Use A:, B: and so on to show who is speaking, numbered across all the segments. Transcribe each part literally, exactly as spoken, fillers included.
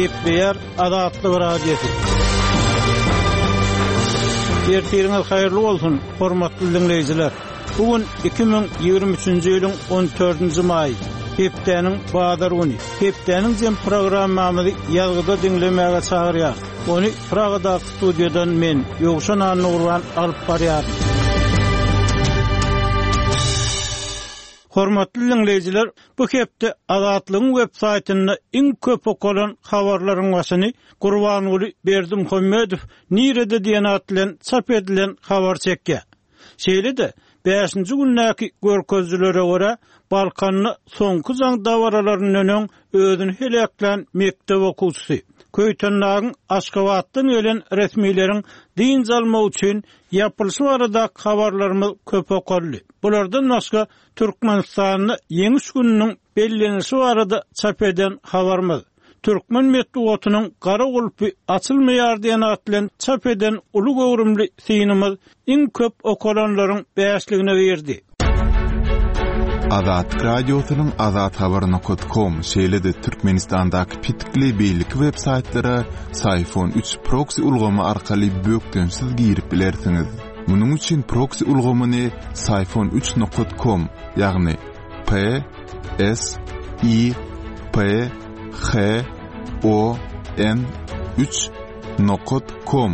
A: Gepleýär Azatlyk Radiosy. Ertiriňiz haýyrly bolsun, hormatly dinleýjiler. Bu gün iki müň ýigrimi üçünji ýylyň on dördünji maýy, hepdäniň bazar güni. Hepdäniň jem programmamyzy ýazgyda diňlemäge çagyrýar. Ony Pragadaky studiýadan men Ýowşan Annurban alyp barýaryn. Hormatly dinleýjiler, bu hepde Azatlygyň web saýtynda iň köp okalan habarlaryň başyny Gurbanguly Berdimuhamedow nirede diýen at bilen çap edilen habar çekýär. Şeýle-de bäşinji gündäki görkezijilere görä Balkanda soňky jaň dabaralaryndan öň özüni heleklän mekdep okuwçysy Köýtendagyň Aşgabatdan gelen resmileriň dynç almak üçin ýapylyşy barada habarlarymyz köp okaldy. Bulardan başga Türkmenistanda ýeňiş gününiň bellenişi barada çap eden habarymyz Türkmen metbugatynyň gara gulpy açylmaýar diýen at bilen çap eden uly göwrümli synymyz iň köp okalanlaryň bäşligine girdi.
B: Azatlyk Radiosynyň azathabar nokta com şeýle-de Türkmenistandaky pitikli beýleki web saýtlara Syfon üç proxy ulgamy arkaly bökdençsiz girip bilersiňiz. Munuň üçin proxy ulgamyny Syfon üç nokta com, ýagny P S I P H O N üç nokta com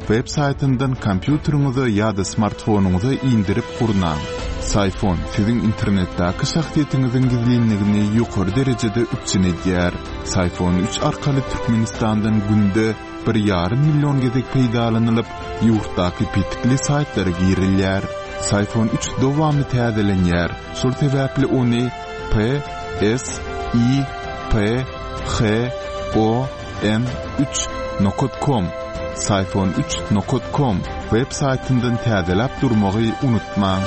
B: web saýtyndan kompýuteriňize ýa-da smartfonyňyza indirip gurnaň. Syfon siziň internetdäki şahsyýetiňiziň gizlinligini ýokary derejede üpjün edýär. Syfon üç arkaly Türkmenistandan günde bir ýarym million gezek peýdalanylyp, ýurtdaky pitikli saýtlara girilýär. Syfon üç dowamly täzelenýär. Şol sebäpli ony P S I P H O N üç nokta com Syfon üç nokta com web saýtyndan täzeläp durmagy unutmaň.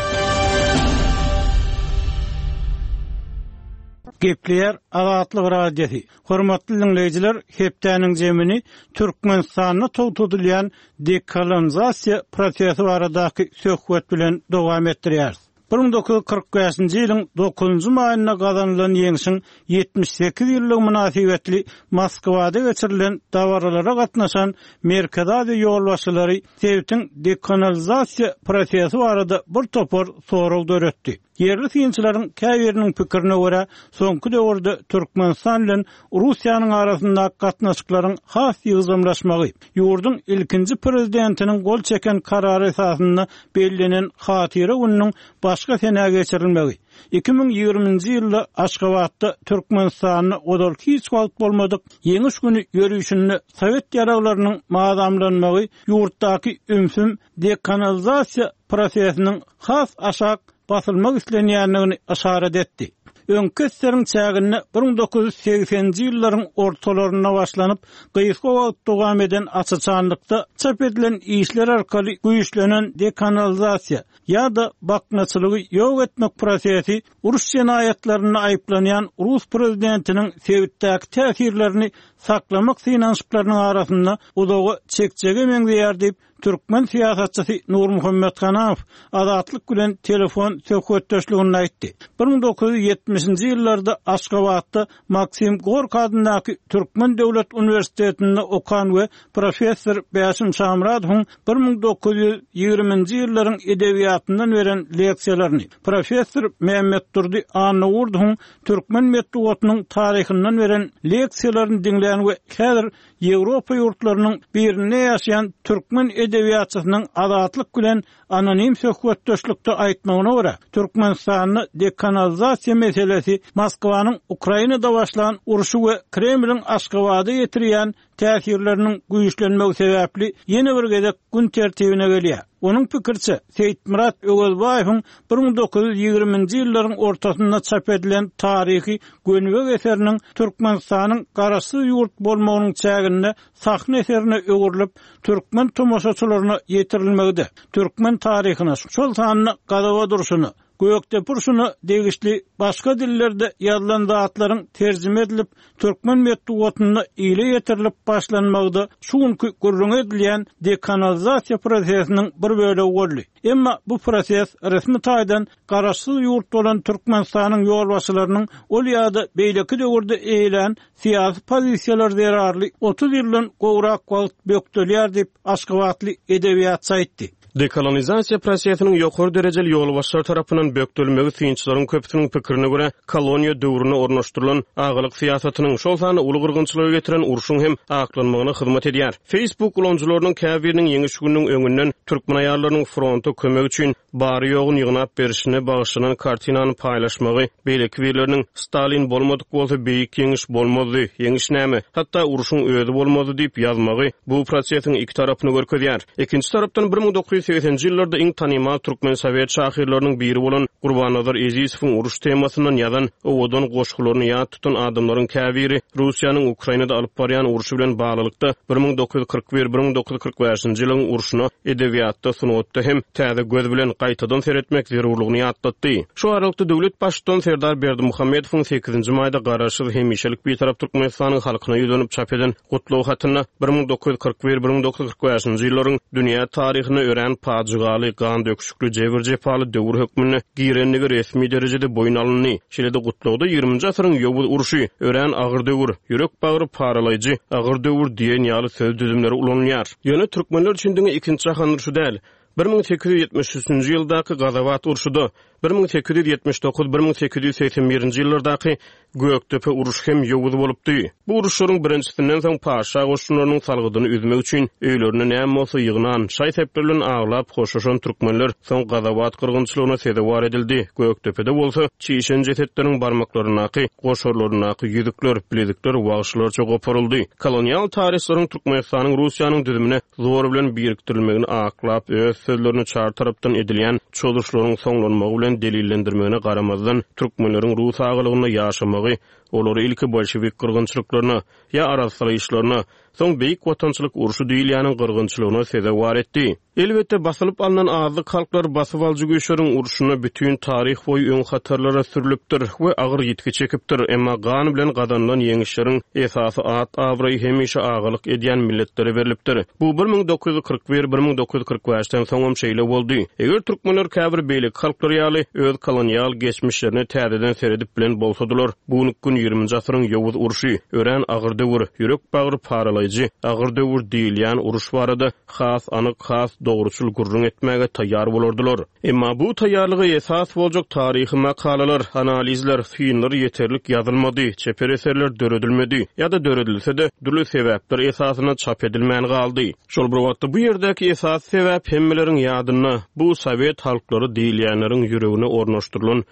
A: Gepleýär Azatlyk Radiosy. Hormatly dinleýjiler, hepdäniň zemini Türkmenistanda togtadylýan dekolonizasiýa prosesi baradaky söhbet bilen dowam etdirýäris. bir müň dokuz ýüz kyrk bäşinji ýylyň dokuzynjy maýynda gazanylan ýeňşiň ýetmiş sekiz ýyllygy mynasybetli Moskwada geçirilen dabaralara gatnaşan Merkezi Aziýa ýolbaşçylary sebitiň dekolonizasiýa prosesi barada bir topar sorag döretdi. Ýerli synçylaryň käbiriniň pikirine görä, soňky döwürde Türkmenistan bilen Russiýanyň arasyndaky gatnaşyklaryň has ýygjamlaşmagy, ýurduň ilkinji prezidentiniň gol çeken karary esasynda bellenen hatyra gününiň başga senä geçirilmegi, iki müň ýigriminji ýylda Aşgabatda Türkmenistanda ozal hiç wagt bolmadyk ýeňiş güni ýörüşinde Sowet ýaraglarynyň mazamlanmagy ýurtdaky ümsüm dekolonizasiýa prosesiniň has aşak basylmak islenýändigini yşarat etdi. Öňki eseriň çäginde bir müň dokuz ýüz segseninji ýyllaryň ortalarynda başlanyp, gysga wagt dowam eden açyçanlykda çap edilen işler arkaly güýçlenen dekolonizasiýa ýa-da baknaçylygy ýok etmek prosesi uruş jenaýatlarynda aýyplanýan Rus prezidentiniň sebitdäki täsirlerini saklamak synanyşyklarynyň arasynda uzaga çekjege meňzeýär diýip, Türkmen syýasatçysy Nurmuhammet Hanamow Azatlyk bilen telefon söhbetdeşliginde aýtdy. bir müň dokuz ýüz ýetmişinji ýyllarda Aşgabatda Maksim Gorki adyndaky Türkmen Döwlet Uniwersitetinde okan we professor Bäşim Şamradowyň bir müň dokuz ýüz ýigriminji ýyllaryň edebiýatyndan beren leksiýalaryny, professor Mehmet Durdy Annagurdowyň Türkmen metbugatynyň taryhyndan beren leksiýalaryny diňlän we häzir Ýewropa ýurtlarynyň birinde ýaşaýan türkmen edebiýatçysynyň Azatlyk bilen anonim söhbetdeşlikde aýtmagyna görä, Türkmenistanda dekolonizasiýa meselesi Moskwanyň Ukrainada başlan urşy we Kremliň Aşgabada getirýän täsirleriniň güýçlenmegi sebäpli ýene bir gezek gün tertibine gelýär. Onuň pikirçe, Seýitmyrat Öwezbaýewiň bir müň dokuz ýüz ýigriminji ýyllaryň ortasynda çap edilen taryhy gönübek eseriniň Türkmenistanyň garaşsyz ýurt bolmagynyň çäginde sahna eserine öwrülip, türkmen tomaşaçylaryna ýetirilmegide, türkmen taryhyna, şol sanda gazaba durşuna, Gökdepe urşuna degişli başga dillerde ýazylan zatlaryň terjime edilip, türkmen metbugatynda ile ýetirilip başlanmagy-da şu günki gürrüňi edilýän dekolonizasiýa prosesiniň bir bölegi boldy. Emma bu proses resmi taýdan garaşsyz ýurt bolan Türkmenistanyň ýolbaşçylarynyň ol ýa-da beýleki döwürde eýelän syýasy pozisiýalary zerarly otuz ýyldan gowrak wagt bökdelýär diýip, aşgabatly edebiýatçy aýtdy.
C: Dekolonizasiýa prosesiniň ýokary derejeli ýolbaşçylar tarapyndan bökdelmegi synçylaryň köpüsiniň pikirine görä, koloniýa döwründe ornaşdyrylan agalyk syýasatynyň, şol sanda uly gyrgynçylyga getiren urşuň hem aklanmagyna hyzmat edýär. Facebook ulanyjylarynyň käbiriniň ýeňiş gününiň öňünden türkmen aýallarynyň fronta kömek üçin bary-ýoguny ýygnap berişine bagyşlanan kartinany paýlaşmagy, beýleki birleriniň Stalin bolmadyk bolsa beýik ýeňiş bolmazdy, ýeňiş näme, hatda urşuň özi bolmazdy diýip ýazmagy bu prosesiň iki tarapyny görkezýär. Ikinji tarapdan bir müň dokuz ýüz segseninji ýyllarda iň tanymal türkmen sowet şahyrlarynyň biri bolan Gurbannazar Ezizowyň uruş temasyndan ýazan owadan goşgularyny ýat tutan adamlaryň käbiri Russiýanyň Ukrainada alyp barýan urşy bilen baglylykda bir müň dokuz ýüz kyrk bir, bir müň dokuz ýüz kyrk bäşinji ýylyň urşuna edebiýatda, sungatda hem täze göz bilen gaýtadan seretmek zerurlygyny ýatlatdy. Şu aralykda döwlet baştutan Serdar Berdimuhamedowyň sekizinji maýda garaşsyz hemişelik Bitarap Türkmenistanyň halkyna ýüzlenip çap eden gutlag hatynda bir müň dokuz ýüz kyrk bir, bir müň dokuz ýüz kyrk bäşinji ýyllaryň dünýä taryhyna örän pajygaly, gan döküşikli, jebir-jepaly döwür hökmünde girendigi resmi derejede boýun alyndy. Şeýle-de gutlagda ýigriminji asyryň ýowuz urşy, örän agyr döwür, ýürek bagry paralaýjy, agyr döwür diýen ýaly söz düzümleri ulanylýar. Ýöne türkmenler üçin diňe ikinji jahan urşy däl, bir müň sekiz ýüz ýetmiş üçünji ýyldaky Gazawat urşuda, bir müň sekiz ýüz ýetmiş dokuz, bir müň sekiz ýüz segsen birinji ýyllardaky Gökdepe urşy hem ýowuz bolupdy. Bu uruşlaryň birinjisinden soň paşa goşunlarynyň salgydyny üzmek üçin öýlerine näme bolsa ýygnan, şaý-sepler bilen aglap hoşlaşan türkmenler soň Gazawat gyrgynçylygyna sezewar edildi. Gökdepede bolsa çişen jesetleriň barmaklaryndaky, goşarlaryndaky ýüzükler, bilezikler wagşylarça goparyldy. Kolonial taryhlaryň Türkmenistanyň Russiýanyň düzümine zor bilen birikdirilmegini aklap, öz sözlerini çar tarapdan edilýän çozuşlaryň soňlanmagy bilen delillendirmegine garamazdan, türkmenleriň rus agalygynda ýaşamagy olary ilki bolşewik gyrgynçylyklaryna ýa arassalaýyşlaryna, soň beýik watançylyk urşy diýilýäniň gyrgynçylygyna sezewar etdi. Elbetde basylyp alnan azlyk halklar basyp alyjy güýçleriň urşuna bütün taryh boýy öň hatarlara sürülipdir we agyr ýitgi çekipdir. Emma gan bilen gazanylan ýeňişleriň esasy at abraýy hemişe agalyk edýän milletlere berilipdir. Bu bir müň dokuz ýüz kyrk bir, bir müň dokuz ýüz kyrk bäşden soňam şeýle boldy. Eger türkmenler käbir beýleki halklar ýaly öz kolonial geçmişlerine täzeden seredip bilen bolsadylar, bu gün ýigriminji asyryň ýowuz urşy, örän agyr döwür, ýürek bagry paralaýjy, agyr döwür diýilýän uruş barada has anyk, has dogruçyl gürrüň etmäge taýýar bolardylar. Emma bu taýýarlyga esas boljak taryhy makalalar, analizler, synlar ýeterlik ýazylmady, çeper eserler döredilmedi ýa-da döredilse-de dürli sebäpler esasynda çap edilmän galdy. Şol bir wagtda bu ýerdäki esas sebäp hemmeleriň ýadynda bu sowet halklary diýilýänleriň ýüregine ornaşdyrylan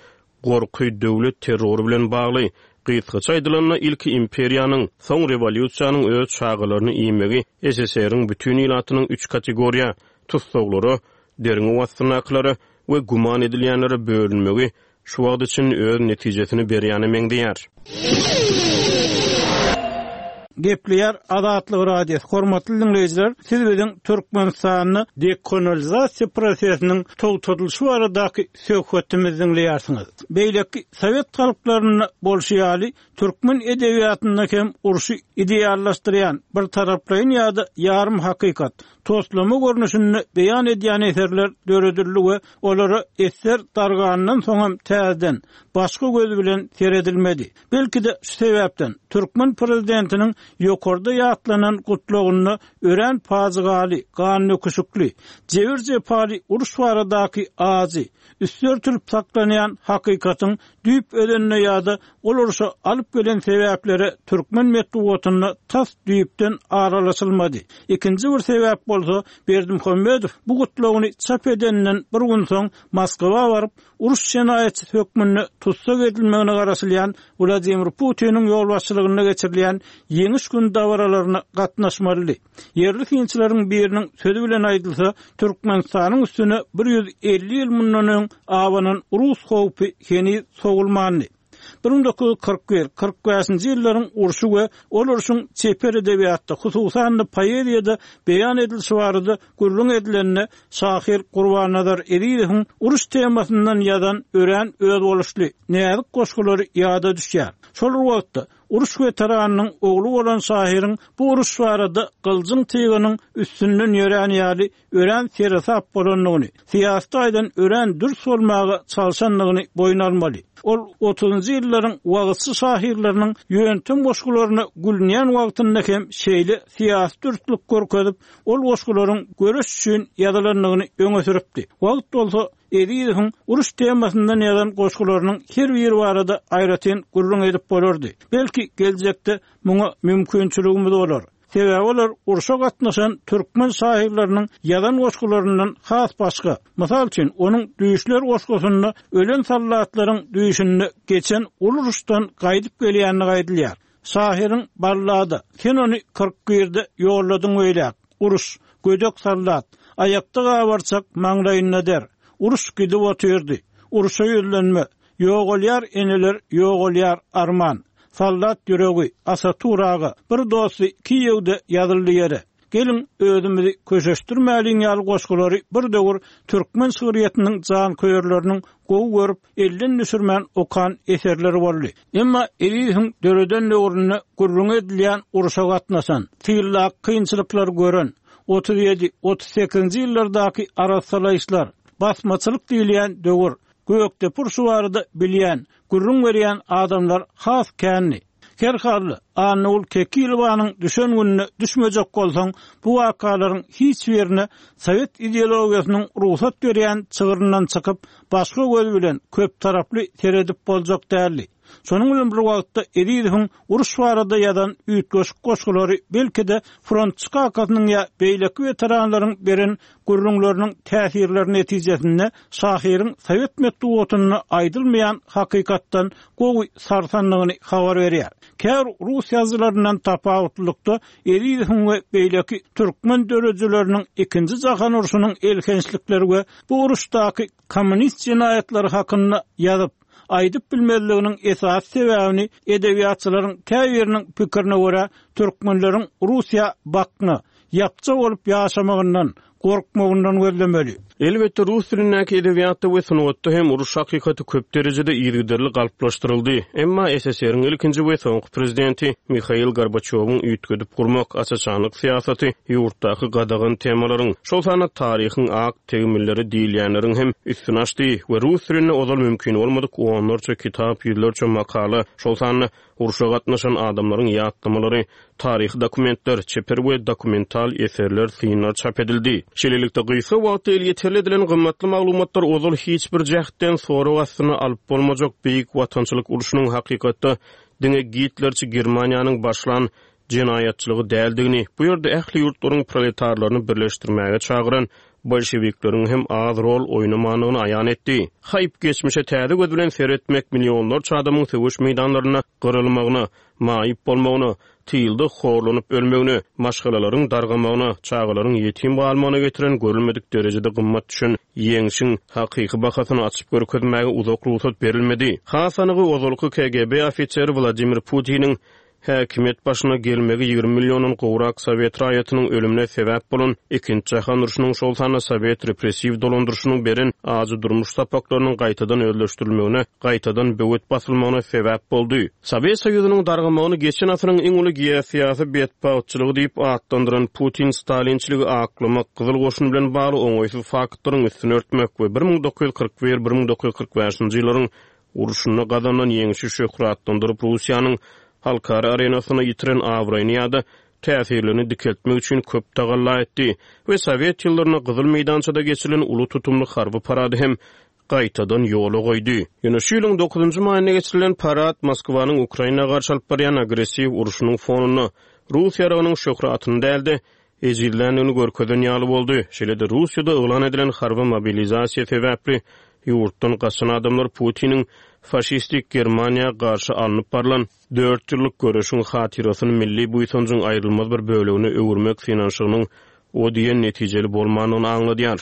C: gorky döwlet terrory bilen bagly. Gysgaça aýdylanda ilki imperiýanyň, soň rewolýusiýanyň öz çagalaryny iýmegi S S R-iň bütün ilatynyň üç kategoriýa, tussaglara, derňew astyndakylara we güman edilýänlere bölünmegi şu wagt üçin öz netijesini berýäne meňzeýär.
A: Gepleýär Azatlyk Radiosy. Hormatly dinleýjiler, siz biziň Türkmenistanda dekolonizasiýa prosesiniň togtadylyşy baradaky söhbetimizi dinleýärsiňiz. Beýleki sowet halklarynda bolşy ýaly türkmen edebiýatynda hem urşy ideallaşdyrýan bir taraplaýyn ýa-da ýarym hakykat toslama görnüşinde beýan edýän eserler döredildi we olara eser dargandan soňam täzeden başga göz bilen seredilmedi. Belki de şu sebäpden türkmen prezidentiniň ýokarda ýatlanan gutlagynda örän pajygaly, gan döküşikli, jebir-jepaly uruş baradaky ajy, üstler türüp saklanýan hakykatyň düýp özenine ýa-da ol urşa alyp gelen sebäplere türkmen metbugatynda tas düýpden aralaşylmady. Ikinji bir sebäp bolsa Berdimuhamedow bu gutlagyny çap edenden bir gün soň Moskwa baryp uruş jenaýatçysy hökmünde tussag edilmegine garaşylýan Wladimir Putiniň ýolbaşçylygynda geçirilýän ýeňiş gün dabaralaryna gatnaşmalydy. Ýerli synçylaryň biriniň sözi bilen aýdylsa, Türkmenistanyň üstüne bir ýüz elli ýyl mundan öň abanan rus howpy heniz sowulmandy. Bir müň dokuz ýüz kyrk bir, kyrk bäşinji ýyllaryň urşy we ol urşuň çeper edebiýatda, hususan-da poeziýada beýan edilişi barada gürrüň edilende şahyr Gurbannazar Ezizowyň uruş temasyndan ýazan örän özboluşly, näzik goşgulary ýada düşýär. Şol wagtda uruş weteranynyň ogly bolan şahyryň bu uruş barada gyljyň tygynyň üstünden ýörän ýaly örän seresap bolandygyny, syýasy taýdan örän dürs bolmaga çalşandygyny boýun almaly. Ol otuzynjy ýyllaryň wagtçy şahyrlarynyň ýöntem goşgularyna gülünýän wagtynda hem şeýle syýasy dürslük görkezip, ol goşgularyň göreş üçin ýazylandygyny öňe sürüpdi. Wagt bolsa Ezizowyň uruş temasyndan ýazan goşgularynyň her biri barada aýratyn gürrüň edip bolardy. Belki geljekde muňa mümkinçiligimiz bolar. Sebäbi olar urşa gatnaşan türkmen şahyrlarynyň ýazan goşgularyndan has başga. Mysal üçin, onuň Düýşler goşgusynda ölen soldatlaryň düýşünde geçen uruşdan gaýdyp gelýänini aýdylýar. Şahyryň ballada, sen ony kyrk birde ýolladyň öýläk. Uruş, gödek soldat, aýakda gabarçak maňlaýynda der. Uruş gidip otyrdy. Uruşa ýüzlenme. Ýogalýar eneler, ýogalýar arman. Soldat ýüregi, Asaturaga, bir dosty Kiýewde ýazyldy ýere. Gelin özümizi köşeşdirmäliň ýaly goşgulary bir döwür türkmen şygryýetiniň jan köýerleriniň gowy görüp, elden düşürmän okan eserleri boldy. Emma Ezizowyň döreden döwründe gürrüň edilýän uruşa gatnaşan, tyllak kynçylyklar gören, otuz ýedi, otuz sekizinji ýyllardaky arassalaýyşlar, basmaçylyk diýilýän döwür, Gökdepe urşy barada bilýän, gürrüň berýän adamlar has kändi. Her halda Annagül Kekilowanyň düşen gününe düşmejek bolsaň, bu wakalaryň hiç birine sowet ideologiýasynyň rugsat berýän çygryndan çykyp, başga göz bilen köp taraply seredip boljak däldi. Şonuň bilen bir wagtda Ezizowyň uruş barada ýazan üýtgeşik goşgulary belki-de frontçy kakasynyň ýa beýleki weteranlaryň beren gürrüňleriniň täsirleri netijesinde şahyryň sowet metbugatynda aýdylmaýan hakykatdan gowy sarsandygyny habar berýär. Käbir rus ýazyjylaryndan tapawutlylykda Ezizowyň we beýleki türkmen döredijileriniň ikinji jahan urşunyň elhençlikleri we bu uruşdaky kommunist jenaýatlary hakynda ýazyp, aýdyp bilmezliginiň esasy sebäbini edebiýatçylaryň käbiriniň pikirine görä türkmenleriň Russiýa bakna, ýapja bolup ýaşamagyndan, gorkmagyndan gözlemeli.
C: Elbetde rus dilindäki edebiýatda we sungatda hem uruş hakykaty köp derejede yzygiderli galplaşdyryldy. Emma S S R-iň ilkinji we soňky prezidenti Mihail Gorbaçýowyň üýtgedip gurmak, aç-açanlyk syýasaty ýurtdaky gadagan temalaryň, şol sanda taryhyň ak tegmilleri diýilýänleriň hem üstüni açdy we rus dilinde ozal mümkin bolmadyk onlarça kitap, ýüzlerçe makala, şol sanda urşa gatnaşan adamlaryň ýatlamalary, taryhy dokumentler, çeper we dokumental eserler, synlar çap edildi. Şeýlelikde gysga wagtda elýeterli edilen gymmatly maglumatlar ozal hiç bir jähtden sorag astyna alyp bolmajak Beýik Watançylyk urşunyň hakykatda diňe Gitlerçi Germaniýanyň başlan jenaýatçylygy däldigini, bu ýerde ähli ýurtlaryň proletarlaryny birleşdirmäge çagyran bolşewikleriň hem az rol oýnamandygyny aýan etdi. Haýp geçmişe täze göz bilen seretmek millionlarça adamyň söweş meýdanlarynda gyrylmagyna, maýyp bolmagyna, tylda horlanyp ölmegine, maşgalalaryň dargamagyna, çagalaryň ýetim galmagyna getiren görülmedik derejede gymmat düşen ýeňşiň hakyky bahasyny açyp görkezmäge uzak rugsat berilmedi. Has anygy ozalky K G B ofiseri Wladimir Putiniň häkimiýet başyna gelmegi ýigrimi milliondan gowrak sowet raýatynyň ölümine sebäp bolan ikinji jahan urşunyň şol sanda sowet repressiw dolandyryşynyň beren ajy durmuş sapaklarynyň gaýtadan özleşdirilmegine, gaýtadan böwet basylmagyna sebäp boldy. Sowet Soýuzynyň dargamagyny geçen asyryň iň uly geosyýasy betbagtçylygy diýip atlandyran Putin stalinçiligi aklamak, Gyzyl goşun bilen bagly oňaýsyz faktlaryň üstüni örtmek we bir müň dokuz ýüz kyrk bir, bir müň dokuz ýüz kyrk bäşinji ýyllaryň urşunda gazanan ýeňişi şöhratlandyryp Russiýanyň halkara arenasyna ýitiren abraýyny ýa-da täsirlerini dikeltmek üçin köp tagalla etdi we Sowet ýyllarynda Gyzyl meýdançada geçirilen uly tutumly harby parady hem gaýtadan ýola goýdy. Ýöne şu ýylyň dokuzynjy maýynda geçirilen parad Moskwanyň Ukraina garşy alyp barýan agressiw urşunyň fonunda Rus ýaragynyň şöhratyny däl-de ejizländigini görkezen ýaly boldy. Şeýle-de Russiýada yglan edilen harby mobilizasiýa sebäpli ýurtdan gaçan adamlar Putiniň faşistik Germaniýa garşy alnyp barlan dört ýyllyk göreşiň hatyrasyny milli buýsanjyň aýrylmaz bir bölegine öwürmek synanyşygynyň o diýen netijeli bolmandygyny aňladýar.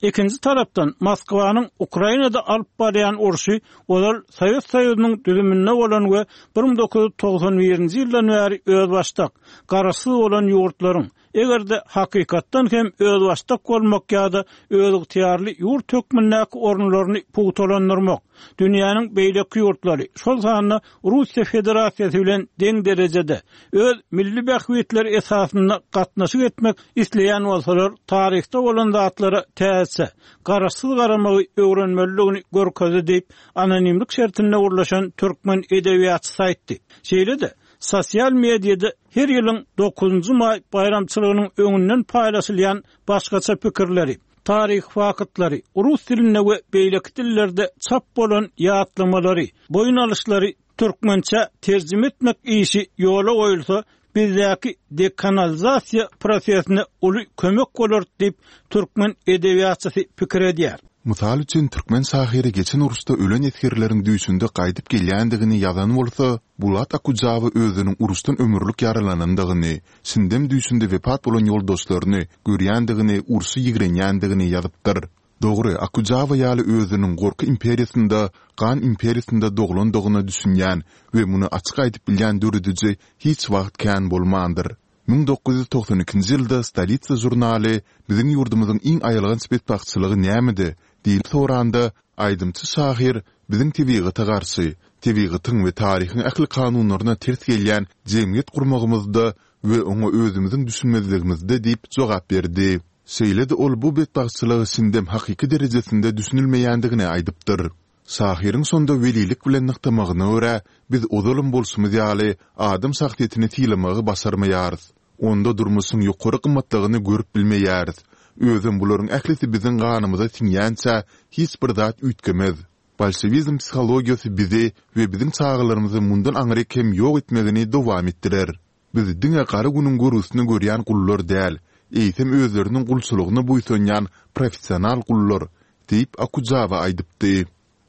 A: Ikinji tarapdan Moskwanyň Ukrainada alyp barýan urşy ozal Sowet Soýuzynyň düzüminde bolan we bir müň dokuz ýüz togsan birinji ýyldan bäri özbaşdak, garaşsyz bolan ýurtlaryň, eger-de hakykatdan hem özbaşdak bolmak ýa-da özygtyýarly ýurt hökmündäki orunlaryny pugtalandyrmak, dünýäniň beýleki ýurtlary, şol sanda Russiýa Federasiýasy bilen deň derejede öz milli bähbitleri esasynda gatnaşyk etmek isleýän bolsalar, taryhda bolan zatlara täze, garaşsyz garamagy öwrenmelidigini görkezdi diýip, anonimlik şertinde gurlaşan türkmen edebiýatçysy aýtdy. Şeýle-de, sosial mediada her ýylyň dokuzynjy maý baýramçylygynyň öňünden paýlaşylýan başgaça pikirleri, taryh faktlary, rus dilinde we beýleki dillerde çap bolan ýatlamalary, boýun alyşlary türkmençe terjime etmek işi ýola goýulsa, bizdäki dekanalizasiýa prosesine uly kömek bolar diýip, türkmen edebiýatçysy pikir edýär.
B: Mysal üçin, türkmen şahyry geçen uruşda ölen esgerleriň düýşünde gaýdyp gelýändigini ýazan bolsa, Bulat Okujawa özüniň uruşdan ömürlik ýaralanandygyny, şindem düýşünde wepat bolan ýoldaşlaryny görýändigini, urşy ýigrenýändigini ýazypdyr. Dogry, Okujawa ýaly özüniň gorky imperiýasynda, gan imperiýasynda doglandygyna düşünýän we muny açyk aýdyp bilýän dörediji hiç wagt kän bolmandyr. Müň dokuz ýüz togsan ikinji ýylda Stolitsa žurnaly biziň ýurdumyzyň iň aýylganç betbagtçylygy nämede diýip soranda, aýdymçy şahyr biziň tebigata garşy, tebigatyň we taryhyň ähli kanunlaryna ters gelýän jemgyýet gurmagymyzda we oňa özümiziň düşünmezligimizde diýip jogap berdi. Şeýle-de ol bu betbagtçylyga şindem hakyky derejesinde düşünilmeýändigini aýdypdyr. Şahyryň şonda welilik bilen nygtamagyna görä, biz ozalam bolşumyz ýaly adam şahsyýetini sylamagy başarmaýarys. Onda durmuşyň ýokary gymmatlygyny görüp bilmeýäris. Özem bularyň ählisi biziň ganymyza siňýänçä hiç bir zat üýtgemez. Bolşewizm psihologiýasy bizi we biziň çagalarymyzy mundan aňryk hem ýok etmegini dowam etdirer. Biz diňe gara günüň görgüsini görýän gullar däl, eýsem özleriniň gulçulygyna buýsanýan professional gullar, diýip, Okujawa aýdypdy.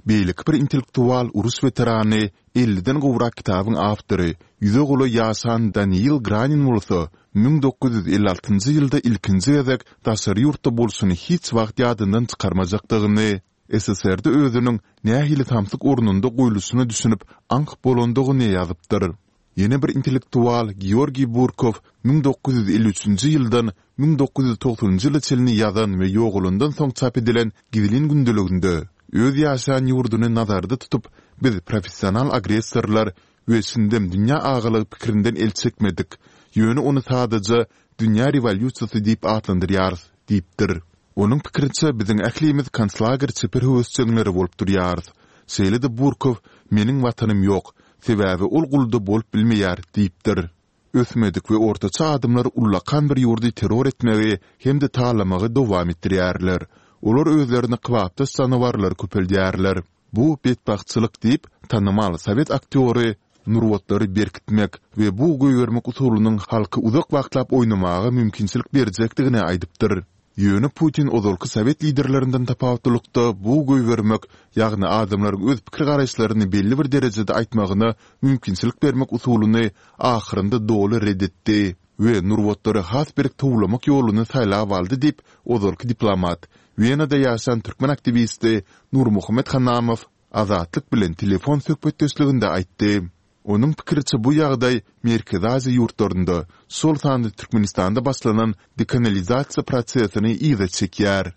B: Beýleki bir intellektual uruş weterany, elliden gowrak kitabyň awtory, ýüze golaý ýaşan Daniil Granin bolsa, müň dokuz ýüz elli altynjy ýylda ilkinji gezek daşary ýurtda bolşuny hiç wagt ýadyndan çykarmajakdygyny, S S R-de özüniň nähili samsyk ornunda goýluşyna düşünip aňk bolandygyny ýazypdyr. Ýene bir intellektual Georgiý Burkow müň dokuz ýüz elli üçünji ýyldan müň dokuz ýüz togsanynjy ýyla çenli ýazan we ýogalandan soň çap edilen gizlin gündeliginde öz ýaşaýan ýurduny nazarda tutup, biz professional agressorlar we şindem dünýä agalygy pikirinden el çekmedik, ýöne ony sadaja dünýä rewolýusiýasy diýip atlandyrýarys diýipdir. Onuň pikiriçe, biziň ählimiz konslager çeper höwesjeňleri bolup durýarys. Şeýle-de Burkow Meniň watanym ýok, sebäbi ol gulda bolup bilmeýär diýipdir. Ösmedik we ortaça adamlar ullakan bir ýurdy terror etmegi hem-de talamagy dowam etdirýärler. Olar özlerine kybapdaş janawarlary köpeldýärler. Bu betbagtçylyk diýip, tanymal sowet aktýory nurbatlary berkitmek we bug goýbermek usulynyň halky uzak wagtlap oýnamaga mümkinçilik berjekdigini aýdypdyr. Ýöne Putin ozalky sowet liderlerinden tapawutlylykda bug goýbermek, ýagny adamlaryň öz pikir-garaýyşlaryny belli bir derejede aýtmagyna mümkinçilik bermek usulyny ahyrynda doly ret etdi we nurbatlary has berk towlamak ýoluny saýlap aldy diýip, ozalky diplomat, Wenada ýaşan türkmen aktiwisti Nurmuhammet Hanamow Azatlyk bilen telefon söhbetdeşliginde aýtdy. Onuň pikiriçe, bu ýagdaý Merkezi Aziýa ýurtlarynda, şol sanda Türkmenistanda başlanan dekanalizasiýa prosesini yza çekýär.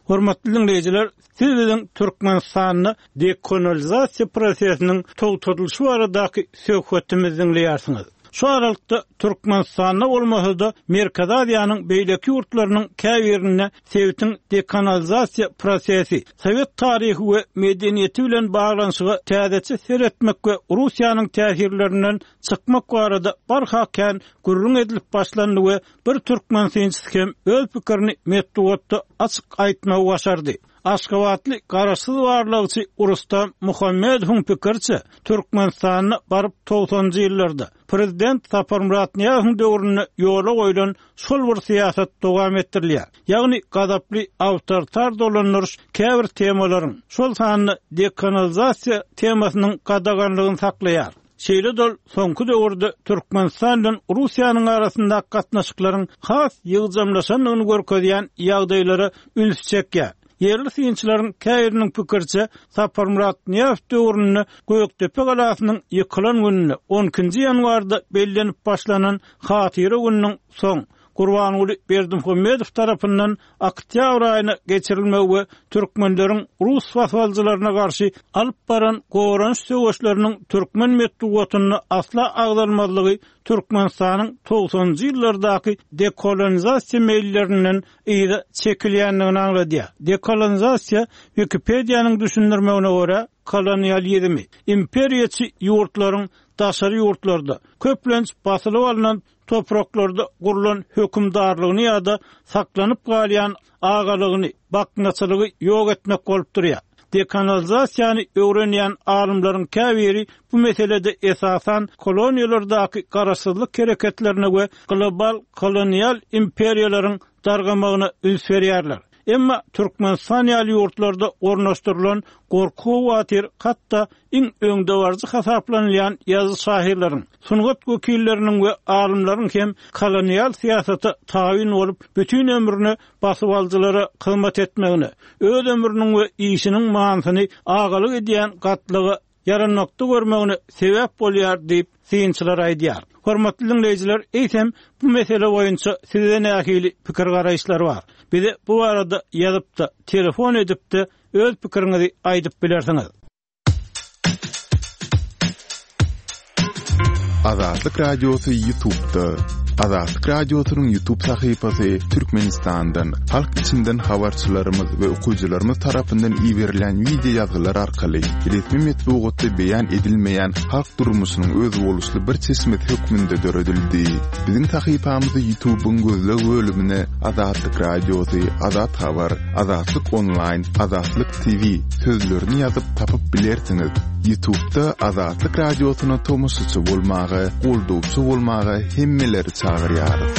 A: Hormatly diňleýjiler, siz biziň Türkmenistanda dekanalizasiýa prosesiniň togtadylyşy baradaky söhbetimizi diňleýärsiňiz. Şu aralykda Türkmenistanda bolmasa-da Merkezi Aziýanyň beýleki ýurtlarynyň käbirinde sebitiň dekanalizasiýa prosesi, sowet taryhy we medeniýeti bilen baglanyşyga täzeçe seretmek we Russiýanyň täsirlerinden çykmak barada barha kän gürrüň edilip başlandy we bir türkmen synçysy hem öz pikirini metbugatda açyk aýtmagy başardy. Aşgabatly garaşsyz barlagçy Rustam Muhammedowyň pikiriçe, Türkmenistanda baryp togsanjy ýyllarda Prezident Saparmyrat Nyýazowyň döwründe ýola goýlan şol bir syýasat dowam etdirilýär. Ýagny gazaply awtoritar dolandyryş käbir temalaryň, şol sanda dekanalizasiýa temasynyň gadaganlygyny saklaýar. Şeýle-de ol soňky döwürde Türkmenistan bilen Russiýanyň arasyndaky gatnaşyklaryň has ýygjamlaşandygyny görkezýän ýagdaýlara üns çekýär. Ýerli synçylaryň käbiriniň pikiriçe, Saparmyrat Nyýazow döwründe Gökdepe galasynyň ýykylan gününe on ikinji ýanwarda bellenip başlanan Hatyra gününiň soň Gurbanguly Berdimuhamedow tarapyndan oktýabr aýyna geçirilmegi we türkmenleriň rus basybalyjylaryna garşy alyp baran goranyş söweşleriniň türkmen metbugatynda asla agzalmazlygy Türkmenistanyň togsanynjy ýyllardaky dekolonizasiýa meýillerinden yza çekilýändigini aňladýar. Dekolonizasiýa Wikipediýanyň düşündirmegine görä, kolonializmi, imperiýaçy ýurtlaryň daşary ýurtlarda, köplenç basylyp alnan topraklarda gurlan hökümdarlygyny ýa-da saklanyp galýan agalygyny, baknaçylygy ýok etmek bolup durýar. Dekolonizasiýany öwrenýän alymlaryň käbiri bu meselede esasan koloniýalardaky garaşsyzlyk hereketlerine we global kolonial imperiýalaryň dargamagyna üns berýärler. Emma Türkmenistan ýaly ýurtlarda ornaşdyrylan gorky-howatyr hatda iň öňdebaryjy hasaplanylýan ýazyjy-şahyrlaryň, sungat wekilleriniň we alymlaryň hem kolonial syýasata tabyn bolup, bütin ömrüne basybalyjylara hyzmat etmegine, öz ömrüniň we işiniň manysyny agalyk edýän gatlaga ýaranmakda görmegine sebäp bolýar diýip, synçylar aýdýar. Hormatly dinleýjiler, eýsem bu mesele boýunça sizde nähili pikir garaýyşlar bar? Bize bu barada ýazyp-da, telefon edip-de öz pikiriňizi aýdyp bilersiňiz.
B: Azatlyk Radiosy YouTube'da. Azatlyk Radiosynyň YouTube sahypasy Türkmenistandan, halk içinden habarçylarymyz we okyjylarymyz tarapyndan iberilen wideo ýazgylar arkaly resmi metbugatda beýan edilmeýän halk durmuşynyň özboluşly bir çeşmesi hökmünde döredildi. Biziň sahypamyzy YouTube'yň gözleg bölümine Azatlyk Radiosy, Azat Habar, Azatlyk Online, Azatlyk T V sözlerini ýazyp tapyp bilersiňiz. YouTube'da Azatlyk Radiosyna tomaşaçy bolmaga, goldawçy bolmaga hemmeleri çagyrýarys.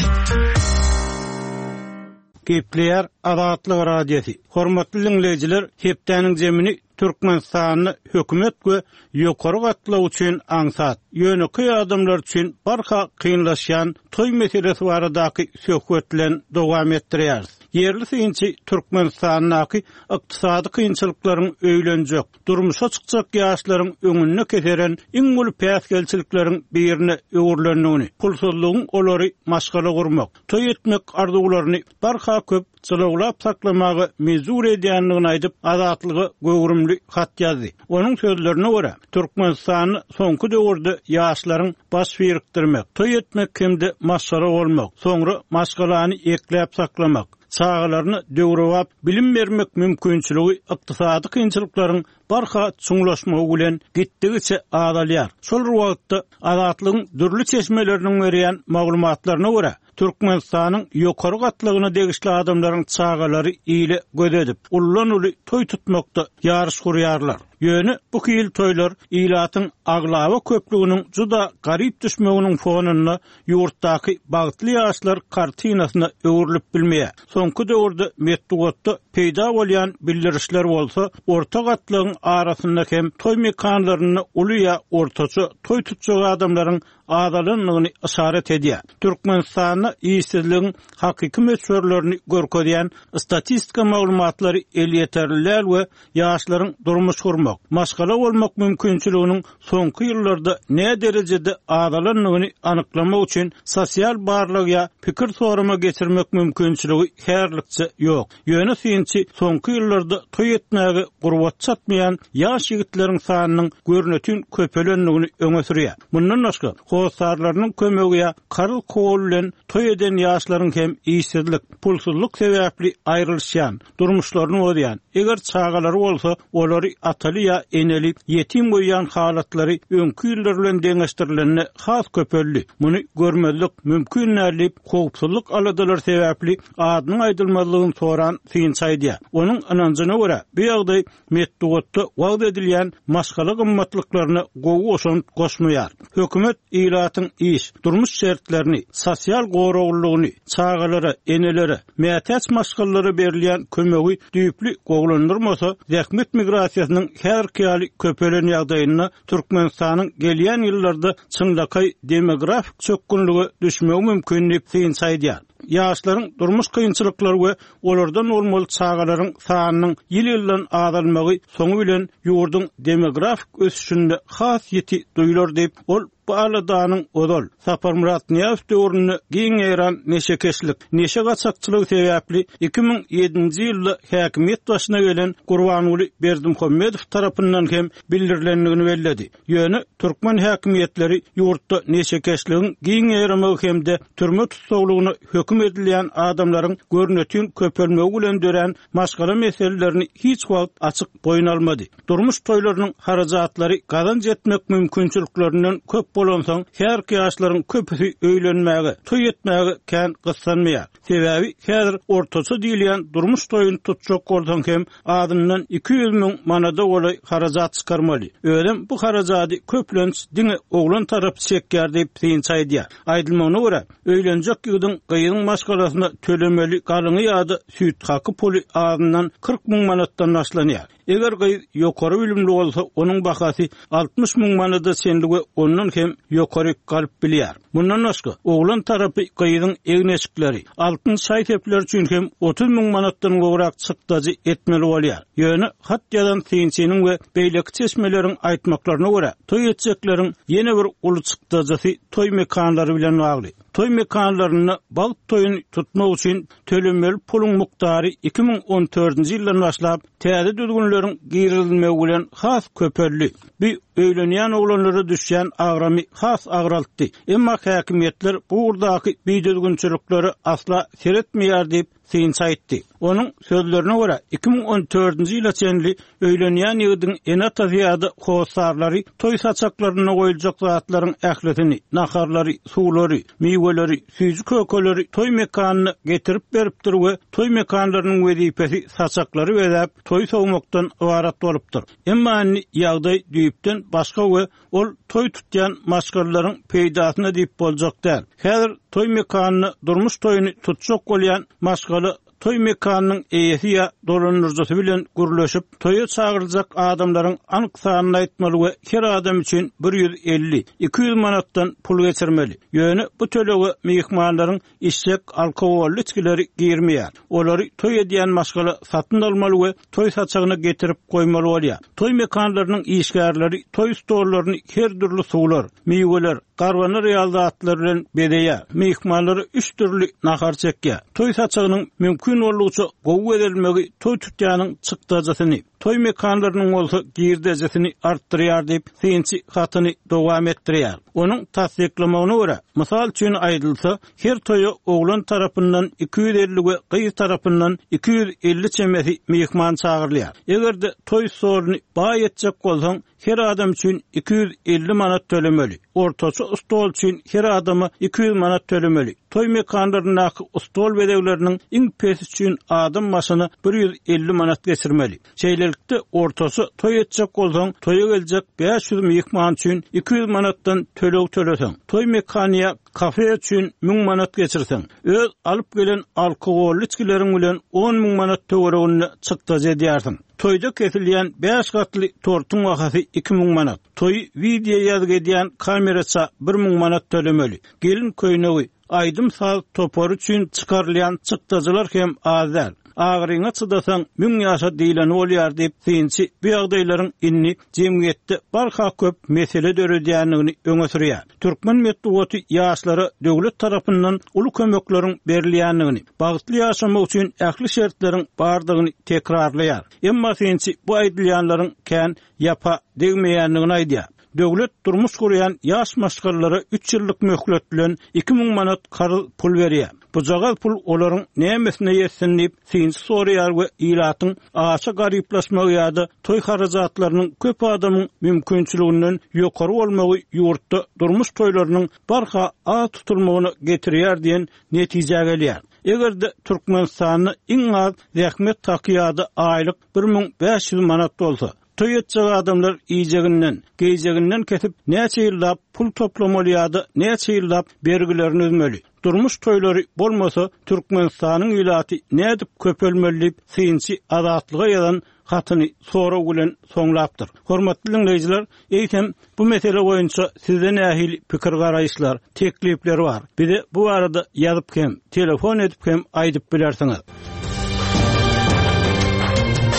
A: Gepleýär Azatlyk Radiosy. Hormatly dinleýjiler, hepdäniň jemini Türkmenistanda hökümet we ýokary gatlak üçin aňsat, ýönekeý adamlar üçin barha kynlaşýan toý meselesi baradaky söhbet bilen dowam etdirýäris. Ýerli synçy Türkmenistandaky ykdysady kynçylyklaryň öýlenjek, durmuşa çykjak ýaşlaryň öňünde keseren iň uly päsgelçilikleriň birine öwrülendigini, pulsuzlygyň olary maşgala gurmak, toý etmek arzuwlaryny barha köp çylawlap saklamaga mejbur edýändigini aýdyp, Azatlyga göwrümli hat ýazdy. Onuň sözlerine görä, Türkmenistanda soňky döwürde ýaşlaryň baş birikdirmek, toý etmek hem-de maşgala bolmak, soňra maşgalany ekläp saklamak, çagalaryna döwrebap bilim bermek mümkinçiligi ykdysady kynçylyklaryň barha çuňlaşmagy bilen gitdigiçe azalýar. Şol wagtda Azatlygyň dürli çeşmeleriniň berýän maglumatlaryna görä, Türkmenistanyň ýokary gatlagyna degişli adamlaryň çagalary ile göz edip, ullan-uly toý tutmakda ýaryş gurýarlar. Ýöne bu hil toýlar ilatyň aglaba köplüginiň juda garyp düşmeginiň fonunda ýurtdaky bagtly ýaşlar kartinasyna öwrülip bilmeýär. Soňky döwürde metbugatda peýda bolýan bildirişler bolsa, orta gatlagyň arasynda hem toý mekanlarynda uly ýa ortaça toý tutjak adamlaryň azalandygyny işaret edýär. Türkmenistanda işsizligiň hakyky möçberlerini görkezýän statistika maglumatlary elýeterli däl we ýaşlaryň durmuş gurmak, maşgala bolmak mümkinçiliginiň soňky ýyllarda ne derejede azalandygyny anyklamak üçin sosial barlag ýa pikir sorama geçirmek mümkinçiligi härlikçe ýok. Ýöne synçy soňky ýyllarda toý etmäge gurbat çatmaýan ýaş ýigitleriň sanynyň görnütün köpelendigini öňe sürýär. Mundan başga, hossarlarynyň kömegi ýa karz kol bilen toý eden ýaşlaryň hem işsizlik, pulsuzlyk sebäpli aýrylyşýan, durmuşlaryny bozýan, eger çagalary bolsa, olary ataly ýa eneli ýetim goýýan halatlary öňki ýyllar bilen deňeşdirilende has köpeldi. Muny görmezlik mümkin däl diýip, howpsuzlyk aladalary sebäpli adynyň aýdylmazlygyny soran synçy aýdýar. Onuň ynanjyna görä, bu ýagdaý metbugatda wagt edilýän maşgala gymmatlyklaryna gowy goşant goşmaýar. Hökümet ilatyň iş, durmuş şertlerini, sosial goraglylygyny, çagalara, enelere, mätäç maşgalalara berilýän kömegi düýpli gowulandyrmasa, zähmet migrasiýasynyň häzirki ýaly köpelen ýagdaýynda Türkmenistanyň gelýän ýyllarda çynlakaý demografik çökgünlige düşmegi mümkin diýip synçy aýdýar. Ýaşlaryň durmuş kynçylyklary we olardan bolmaly çagalaryň sanynyň ýyl-ýyldan azalmagy soňy bilen ýurduň demografik ösüşinde has ýiti duýular diýip, ol bu aladanyň ozal Saparmyrat Nyýazow döwründe giň ýaýran neşekeşlik, neşe gaçakçylygy sebäpli iki müň ýedinji ýylda häkimiýet başyna gelen Gurbanguly Berdimuhamedow tarapyndan hem bildirilendigini belledi. Ýöne türkmen häkimiýetleri ýurtda neşekeşligiň giň ýaýramagy hem-de türme tussaglygyna höküm edilýän adamlaryň görnetin köpelmegi bilen dörän maşgala meselelerini hiç wagt açyk boýun almady. Durmuş toýlarynyň harajatlary gazanç etmek mümkinçiliklerinden köp bolansoň, her ýaşlaryň köpüsi öýlenmäge, toý etmäge kän gyssanmaýar. Sebäbi häzir ortaça diýilýän durmuş toýuny tutjak bolsaň hem azyndan iki ýüz müň manada golaý harajat çykarmaly. Özem bu harajady köplenç diňe oglan tarapy çekýär diýip synçy aýdýar. Aýdylmagyna görä, öýlenjek ýigidiň gyzyň maşgalasyna tölemeli galyňy ýa-da süýt haky puly azyndan kyrk müň manatdan başlanýar. Eger gyz ýokary bilimli bolsa, onuň bahasy altmyş müň manada çenli we ondan hem ýokary galyp bilýär. Mundan başga, oglan tarapy gyzyň egin-eşikleri, altyn şaý-sepler üçin hem otuz müň manatdan gowrak çykdajy etmeli bolýar. Ýöne hat ýazan synçynyň we beýleki çeşmeleriň aýtmaklaryna görä, toý etjekleriň ýene bir uly çykdajysy toý mekanlary bilen bagly. Toý mekanlarynda bagt toýuny tutmak üçin tölenmeli puluň mukdary iki müň on dördünji ýyldan başlap täze düzgünleriň girizilmegi bilen has köpeldi. Bu öýlenýän oglanlara düşýän agramy has agraltdy. Emma häkimiýetler bu ugurdaky bidüzgünçiliklere asla seretmeýär diýip synçy aýtdy. Onuň sözlerine görä, iki müň on dördünji ýyla çenli öýlenýän ýigidiň ene-atasy ýa-da hossarlary toý saçaklarynda goýuljak zatlaryň ählisini, naharlary, suwlary, miweleri, süýji kökeleri toý mekanyna getirip beripdir we toý mekanlarynyň wezipesi saçaklary bezäp, toý sowmakdan ybarat bolupdyr. Emma indi ýagdaý düýpden başga we ol toý tutýan maşgalalaryň peýdasyna diýip boljak däl. Häzir toý mekanyna durmuş toýuny tutjak bolýan maşgala toý mekanynyň eýesi ýa dolandyryjysy bilen gürleşip, toýa çagyryljak adamlaryň anyk sanyny aýtmaly we her adam üçin bir ýüz elli, iki ýüz manatdan pul geçirmeli. Ýöne bu tölege myhmanlaryň içjek alkogolly içgileri girmeýär. Olary toý edýän maşgala satyn almaly we toý saçagyna getirip goýmaly bolýar. Toý mekanlarynyň işgärleri toý stollaryny her dürli suwlar, miweler, garbanar ýaly zatlar bilen bezeýär. Myhmanlara üç dürli nahar çekýär. Toý saçagynyň mümkin boldugyça gowy bezelmegi toý tutýanyň çykdajysyny, toý mekanlarynyň bolsa girdejisini artdyrýar diýip synçy hatyny dowam etdirýär. Onuň tassyklamagyna görä, mysal üçin aýdylsa, her toýa oglan tarapyndan iki ýüz elli we gyz tarapyndan iki ýüz elli çemesi myhman çagyrylýar. Eger-de toý stoluny baý etjek bolsaň, her adam üçin iki ýüz elli manat tölemeli. Ortaça stol üçin her adama iki ýüz manat tölemeli. Toý mekanlaryndaky stol bezegleriniň iň pesi üçin adam başyna bir ýüz elli manat geçirmeli. Şeýlelikde ortaça toý etjek bolsaň, toýa geljek bäş ýüz myhman üçin iki ýüz manatdan töleg töleseň, toý mekanyya kafe üçin müň manat geçirseň, öz alyp gelen alkogolly içgileriň bilen on müň manat töwereginde çykdajy edýärsiň. Toýda kesilýän bäş gatly tortuň bahasy iki müň manat. Toýy video ýazgy edýän kameraça bir müň manat tölemeli. Gelin köýnegi, aýdym saz topary üçin çykarylýan çykdajylar hem az däl. Agyryňa çydasaň müň ýaşa diýleni bolýar diýip synçy bu ýagdaýlaryň indi jemgyýetde barha köp mesele döredýändigini öňe sürýär. Türkmen metbugaty ýaşlara döwlet tarapyndan uly kömekleriň berilýändigini, bagtly ýaşamak üçin ähli şertleriň bardygyny tekrarlaýar. Emma synçy bu aýdylýanlaryň kän ýapa degmeýändigini aýdýar. Döwlet durmuş gurýan ýaş maşgalalara üç ýyllyk möhlet bilen iki müň manat karz pul berýär. Bujagaz pul olaryň nämesine ýetsin diýip synçy soraýar we ilatyň aşa garyplaşmagy ýa-da toý harajatlarynyň köp adamyň mümkinçiliginden ýokary bolmagy ýurtda durmuş toýlarynyň barha az tutulmagyna getirýär diýen netijä gelýär. Eger-de Türkmenistanda iň az zähmet haky ýa-da aýlyk bir müň bäş ýüz manat bolsa, toý etjek adamlar iýjeginden, geýjeginden kesip näçe ýyllap pul toplamaly ýa-da näçe ýyllap bergilerini üzmeli. Durmuş toýlary bolmasa Türkmenistanyň ilaty nädip köpelmeli diýip synçy Azatlyga ýazan hatyny sorag bilen soňlapdyr. Hormatly diňleýjiler, eýsem bu mesele boýunça sizde nähili pikir garaýyşlar, teklipler bar? Bize bu arada ýazyp hem, telefon edip hem aýdyp bilersiňiz.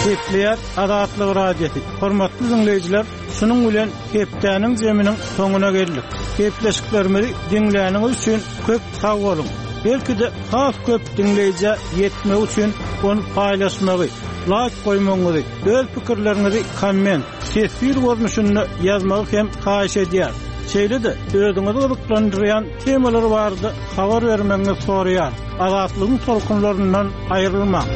A: Gepleýär Azatlyk Radiosy. Hormatly diňleýjiler, şunuň bilen hepdäniň zeminiň soňuna geldik. Gepleşiklerimizi diňläniňiz üçin köp sag boluň. Belki de has köp diňleýjä ýetmek üçin ony paýlaşmagy, like goýmagyňyzy, öz pikirleriňizi komment, teswir görnüşinde ýazmagy hem haýyş edýär. Şeýle-de özüňizi gyzyklandyrýan temalar barada habar bermegiňizi soraýar. Azatlygyň tolkunlaryndan aýrylmaň.